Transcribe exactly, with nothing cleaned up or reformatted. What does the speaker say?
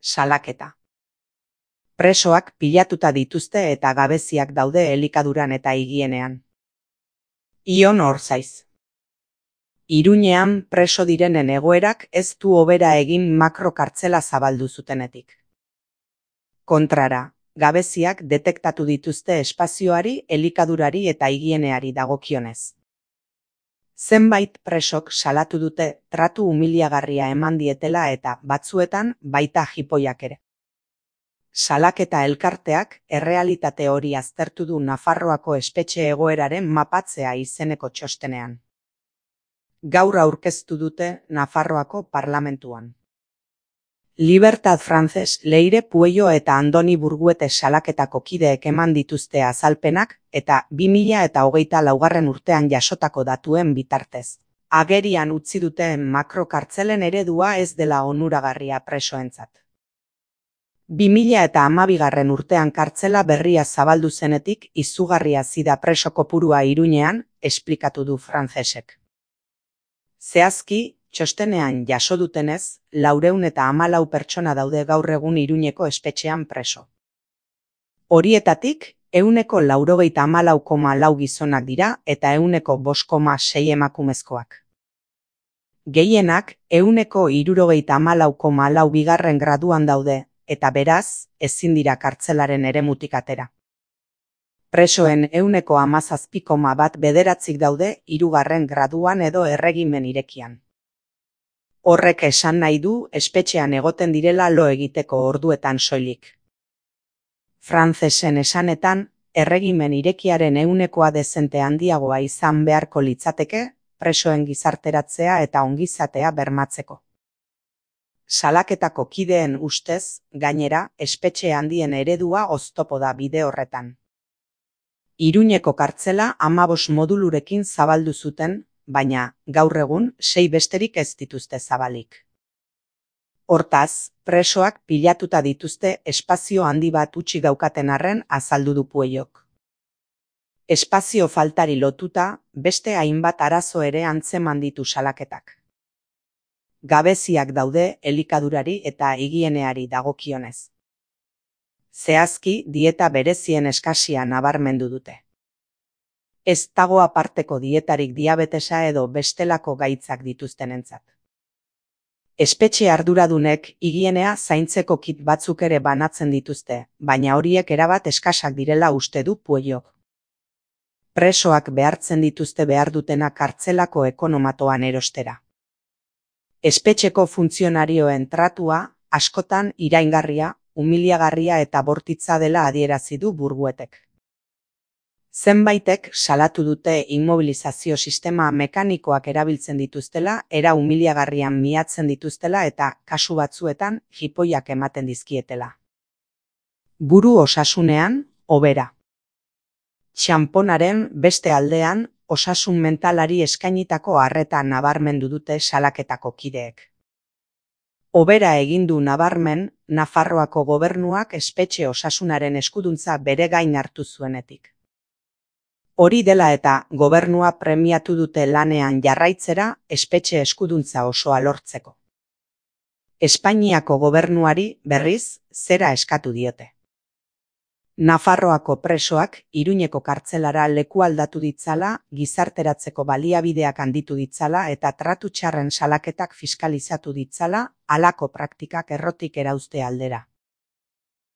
Salaketa. Presoak pilatuta dituzte eta gabeziak daude elikaduran eta higienean. Ion Orzaiz. Iruñean preso direnen egoerak ez du hobera egin makrokartzela zabaldu zutenetik. Kontrara, gabeziak detektatu dituzte espazioari, elikadurari eta higieneari dagokionez. Zenbait presok salatu dute tratu umiliagarria eman dietela eta batzuetan baita jipoiak ere. Salaketa elkarteak errealitate hori aztertu du Nafarroako espetxe egoeraren mapatzea izeneko txostenean. Gaur aurkeztu dute Nafarroako parlamentuan. Libertad Frances, Leire Puello eta Andoni Burguete salaketako kideek eman dituzte azalpenak eta bi mila eta hogeita laugarren urtean jasotako datuen bitartez. Agerian utzi duten makrokartzelen eredua ez dela onuragarria presoentzat. bi mila eta hamabigarren urtean kartzela berria zabaldu zenetik izugarria zida preso kopurua Iruñean, esplikatu du Francesek. Zehazki, txostenean jaso dutenez, laurehun eta hamalau pertsona daude gaur egun Iruñeko espetxean preso. Horietatik, ehuneko laurogeita hamalau koma lau gizonak dira eta ehuneko bost koma sei emakumezkoak. Gehienak, ehuneko hirurogeita hamalau koma lau bigarren graduan daude, eta beraz, ezin dira kartzelaren eremutik atera. Presoen ehuneko hamazazpi koma bat bederatzik daude hirugarren graduan edo erregimen irekian. Horrek esan nahi du espetxean egoten direla lo egiteko orduetan soilik. Francesen esanetan, erregimen irekiaren ehunekoa dezente handiagoa izan beharko litzateke, presoen gizarteratzea eta ongizatea bermatzeko. Salaketako kideen ustez, gainera, espetxe handien eredua oztopo da bide horretan. Iruñeko kartzela hamabost modulurekin zabaldu zuten, baina, gaur egun, sei besterik ez dituzte zabalik. Hortaz, presoak pilatuta dituzte espazio handi bat utzi daukaten arren azaldu du Puellok. Espazio faltari lotuta, beste hainbat arazo ere antzeman ditu salaketak. Gabeziak daude elikadurari eta higieneari dagokionez. Zehazki, dieta berezien eskasia nabarmendu dute. Ez dago aparteko dietarik diabetesa edo bestelako gaitzak dituztenentzat. Espetxe arduradunek higienea zaintzeko kit batzuk ere banatzen dituzte, baina horiek erabat eskasak direla uste du Puellok. Presoak behartzen dituzte behar dutena kartzelako ekonomatoan erostera. Espetxeko funtzionarioen tratua askotan iraingarria, umiliagarria eta bortitza dela adierazi du Burguetek. Zenbaitek salatu dute immobilizazio sistema mekanikoak erabiltzen dituztela, era umiliagarrian miatzen dituztela eta kasu batzuetan jipoiak ematen dizkietela. Buru osasunean, hobera. Txanponaren beste aldean, osasun mentalari eskainitako arreta nabarmendu dute salaketako kideek. Hobera egin du nabarmen, Nafarroako gobernuak espetxe osasunaren eskuduntza bere gain hartu zuenetik. Hori dela eta gobernua premiatu dute lanean jarraitzera espetxe eskuduntza osoa lortzeko. Espainiako gobernuari berriz zera eskatu diote. Nafarroako presoak Iruñeko kartzelara leku aldatu ditzala, gizarteratzeko baliabideak handitu ditzala eta tratu txarren salaketak fiskalizatu ditzala, halako praktikak errotik erauzte aldera.